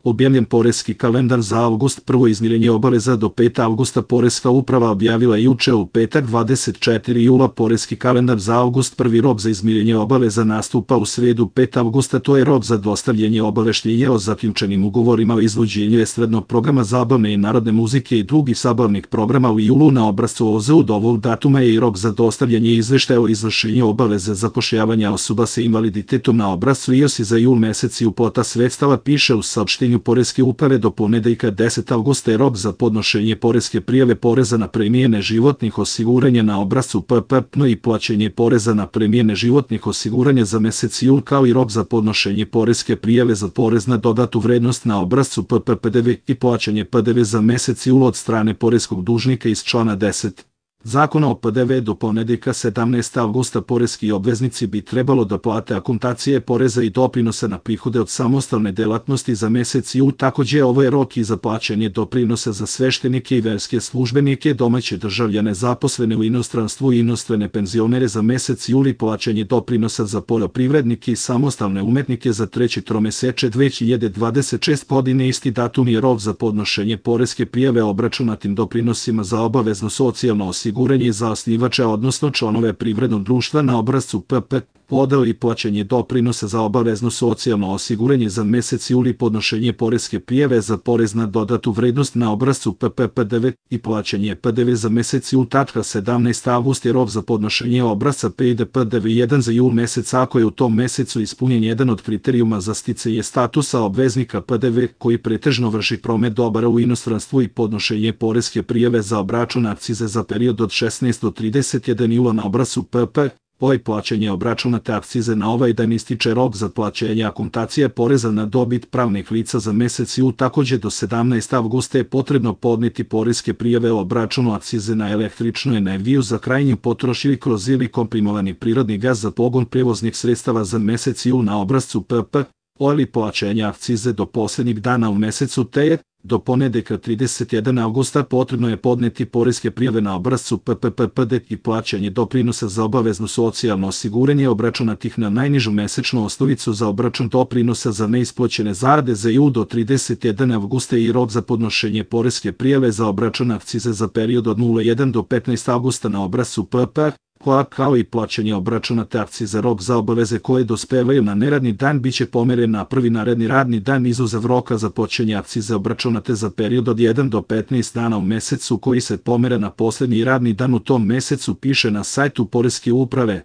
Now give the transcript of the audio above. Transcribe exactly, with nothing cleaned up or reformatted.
Objavljen poreski kalendar za avgust. Prvo izmirenje obaveza do petog avgusta. Poreska uprava objavila juče u petak dvadeset četvrtog jula poreski kalendar za avgust. Prvi rok za izmirenje obaveza nastupa u sredu petog avgusta. To je rok za dostavljanje obaveštenja o zaključenim ugovorima o izvođenju estradnog programa zabavne i narodne muzike i drugih zabavnih programa u julu na obrascu O Z. Od ovog datuma je i rok za dostavljanje izveštaja o izvršenju obaveze zapošljavanja osoba sa invaliditetom na obrascu I O S I za jul mesec i uplata sredstava, piše u saopštenju Poreske uprave. Do ponedeljka desetog avgusta je rok za podnošenje poreske prijave poreza na premije neživotnih osiguranja na obrascu P P P i plaćanje poreza na premije neživotnih osiguranja za mesec jul, kao i rok za podnošenje poreske prijave za porez na dodatu vrednost na obrascu P P P D V i plaćanje P D V za mesec jul od strane poreskog dužnika iz člana deset Zakona o P D V. Do ponedeljka sedamnaestog avgusta poreski obveznici bi trebalo da plate akontacije poreza i doprinosa na prihode od samostalne delatnosti za mesec jul. Takođe, ovo je rok i za plaćanje doprinosa za sveštenike i verske službenike, domaće državljane zaposlene u inostranstvu i inostrane penzionere za mesec jul i plaćanje doprinosa za poljoprivrednike i samostalne umetnike za treće tromeseče dve hiljade dvadeset šeste. godine. Isti datum je rok za podnošenje poreske prijave obračunatim doprinosima za obavezno socijalno osiguranje osiguranje za osnivača, odnosno članove privrednog društva na obrascu P P, podel i plaćanje doprinosa za obavezno socijalno osiguranje za mesec jul i podnošenje poreske prijave za porez na dodatu vrednost na obrascu P P P D V i plaćanje P D V za mesec jul. sedamnaestog avgusta je rok za podnošenje obrasca P I D P D V jedan za jul mesec ako je u tom mesecu ispunjen jedan od kriterijuma za sticanje statusa obveznika P D V koji pretežno vrši promet dobara u inostranstvu i podnošenje poreske prijave za obračun akcize za period od šesnaestog do trideset prvog jula na obrascu P P. Ovaj plaćanje obračunate akcize na ovaj dan ističe rok za plaćanje akontacije poreza na dobit pravnih lica za mesec jul. Takođe, do sedamnaestog avgusta je potrebno podneti poreske prijave o obračunu akcize na električnu energiju za krajnju potrošnju kroz ili komprimovani prirodni gas za pogon prevoznih sredstava za mesec jul na obrascu P P. Ili plaćanje akcize do poslednjeg dana u mesecu, te je do ponedeljka tridesetog prvog avgusta potrebno je podneti poreske prijave na obrascu P P P P D i plaćanje doprinosa za obavezno socijalno osiguranje obračunatih na najnižu mesečnu osnovicu za obračun doprinosa za neisplaćene zarade za jul. Do tridesetog prvog avgusta i rok za podnošenje poreske prijave za obračun akcize za period od nula jedan do petnaestog avgusta na obrascu P P, koja kao i plaćanje obračunate akcize. Rok za obaveze koje dospevaju na neradni dan biće pomeren na prvi naredni radni dan izuzev roka za plaćanje akcize obračunate za period od jedan do petnaest dana u mesecu koji se pomere na poslednji radni dan u tom mesecu, piše na sajtu Poreske uprave.